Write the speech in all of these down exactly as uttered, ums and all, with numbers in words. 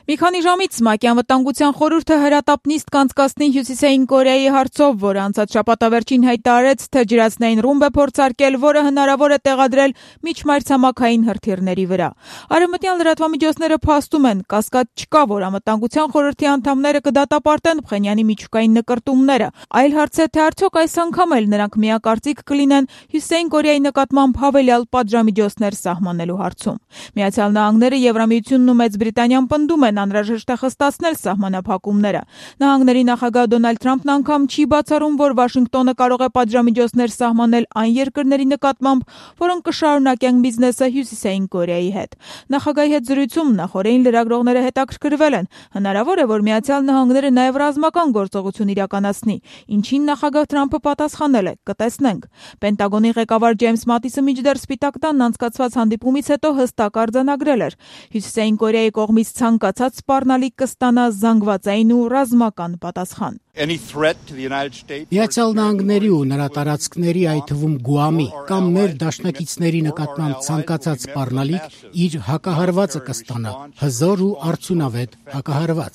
Մի քանի ժամից ՄԱԿ-ի անվտանգության խորհուրդը հրատապ նիստ կանցկացնի Հյուսիսային Կորեայի հարցով, որը անցած շաբաթավերջին հայտարարեց, թե ջրածնային ռումբ է փորձարկել, որը հնարավոր է տեղադրել միջմայրցամաքային հրթիռների վրա։ Արևմտյան լրատվամիջոցները փաստում են, կասկած չկա, որ անվտանգության խորհրդի անդամները կդատապարտեն Փխենյանի միջուկային նկրտումները, այլ հարց է, թե արդյոք այս անգամ էլ նրանք միակարծիք կլինեն Հյուսիսային Կորեայի նկատմամբ հավելյալ պատժամիջոցներ սահմանելու հարցում։ Միացյալ Նահանգները, Եվրամիությունն ու Մեծ Բրիտանիան պնդում են անհրաժեշտ է խստացնել սահմանափակումները։ Նահանգների նախագահ Դոնալդ Թրամփն անգամ չի բացառում, որ Վաշինգտոնը կարող է պատժամիջոցներ սահմանել այն երկրների նկատմամբ, որոնք կշարունակեն բիզնեսը Հյուսիսային Կորեայի հետ։ Նախագահի հետ զրույցում նախօրեին լրագրողները հետաքրքրվել են, հնարավոր է, որ Միացյալ Նահանգները նաև ռազմական գործողություն իրականացնի, ինչին նախագահ Թրամփը պատասխանել է՝ կտեսնենք։ Պենտագոնի ղեկավար Ջեյմս Մատիսը մինչդեռ Սպիտակ տանն անցկացված հանդիպումից հետո հստակ արձանագրել էր. Հյուսիսային Կորեայի կողմից ցանկացած սպառնալիք կստանա զանգվածային ու ռազմական պատասխան։ Միացյալ Նահանգների ու նրա տարածքների, այդ թվում Գուամի կամ մեր դաշնակիցների նկատմամբ ցանկացած սպառնալիք իր հակահարվածը կստանա, հզոր ու արդյունավետ հակահարված։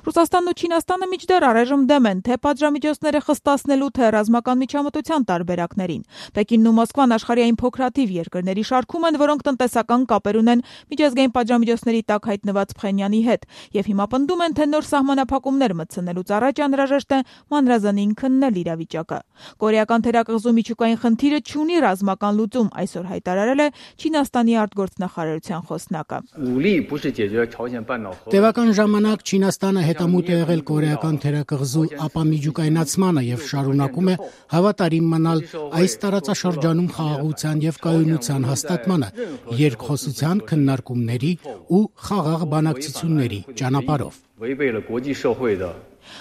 Ռուսաստանն ու Չինաստանը մինչդեռ առայժմ դեմ են թե պատժամիջոցները խստացնելու, թե ռազմական միջամտության տարբերակներին։ Պեկինն ու Մոսկվան աշխարհի այն փոքրաթիվ երկրների շարքում են, որոնք տնտեսական կապեր ունեն միջազգային պատժամիջոցների տակ հայտնված Փխենյանի հետ, եւ հիմա պնդում են, թե նոր սահմանափակումներ մտցնելուց առաջ անհրաժեշտ է մանրազանին քննել իրավիճակը։ Կորեական թերակղզու միջուկային խնդիրը չունի ռազմական լուծում, այսօր հայտարարել է Չինաստանի արտգործնախարարության խոսնակը։ Տևական ժամանակ Չինաստանը հետամուտ է եղել կորեական թերակղզու ապամիջուկայնացմանը եւ շարունակում է հավատարիմ մնալ այս տարածաշրջանում խաղաղության եւ կայունության հաստատմանը, երկխոսության, քննարկումների ու խաղաղ բանակցությունների ճանապարհով։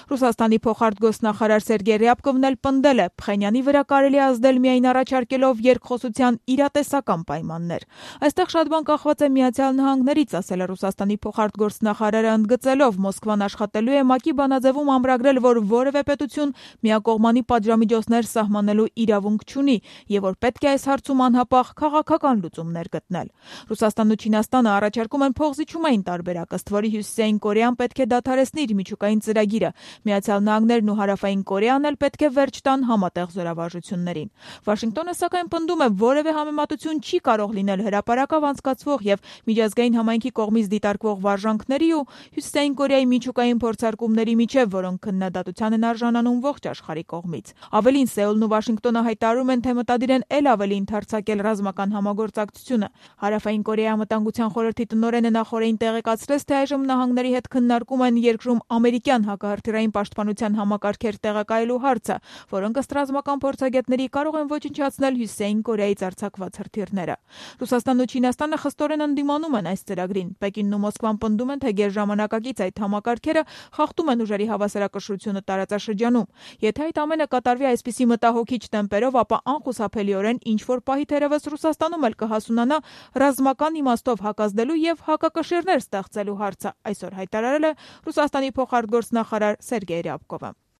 Ռուսաստանի փոխարտգործնախարար Սերգեյ Ռյաբկովն էլ պնդել է, Փխենյանի վրա կարելի ազդել միայն առաջարկելով երկխոսության իրատեսական պայմաններ։ Այստեղ շատ բան կախված է Միացյալ Նահանգներից, ասել է Ռուսաստանի փոխարտգործնախարարը, ընդգծելով, Մոսկվան աշխատելու է ՄԱԿ-ի բանաձևում ամրագրել, որ որևէ պետություն միակողմանի պատժամիջոցներ սահմանելու իրավունք չունի եւ որ պետք է այս հարցում անհապաղ քաղաքական լուծումներ գտնել։ Ռուսաստանն ու Չինաստանը առաջարկում են փոխզիջումային տարբերակ, ըստ որի Հյուսիսային Կորեան պետք է դադարեցնի իր միջուկային ծրագիրը։ Միացյալ Նահանգներն ու Հարավային Կորեան էլ պետք է վերջ տան համատեղ զորավարժություններին։ Վաշինգտոնը սակայն պնդում է, որևէ համեմատություն չի կարող լինել հրապարակավ անցկացվող եւ միջազգային համայնքի կողմից դիտարկվող վարժանքների ու Հյուսիսային Կորեայի միջուկային փորձարկումների միջև, որոնք քննադատության են արժանանում ողջ աշխարհի կողմից։ Ավելին, Սեուլն ու Վաշինգտոնը հայտարարում են, թե մտադիր են ել ավելի ընդարձակել ռազմական համագործակցությունը։ Հարավային Կորեայի անվտանգության խորհրդի տնօրենը նախօրեին տեղեկացրեց, թե այժմ նահանգների հետ քննարկում են երկրում ամերիկյան հակահրթիռային պաշտպանության համակարգեր տեղակայելու հարցը, որոնք ըստ ռազմական փորձագետների կարող են ոչնչացնել Հյուսիսային Կորեայից արձակված հրթիռները։ Ռուսաստանն ու Չինաստանը խստորեն ընդդիմանում են այս ծրագրին։ Պեկինն ու Մոսկվան պնդում են, թե գերժամանակակից այդ համակարգերը խախտում են ուժերի հավասարակշռությունը տարածաշրջանում։ Եթե այդ ամենը կատարվի այսպիսի մտահոգիչ տեմպերով, ապա անխուսափելիորեն ինչ-որ պահի թերևս Ռուսաստանում էլ կհասունանա ռազմական իմաստով հակազդելու եւ հակակշիռներ ստեղծելու հարցը, այսօր հայտարարել է Ռուսաստանի փոխարտգործնախարար Սերգեյ Ռյաբկովը։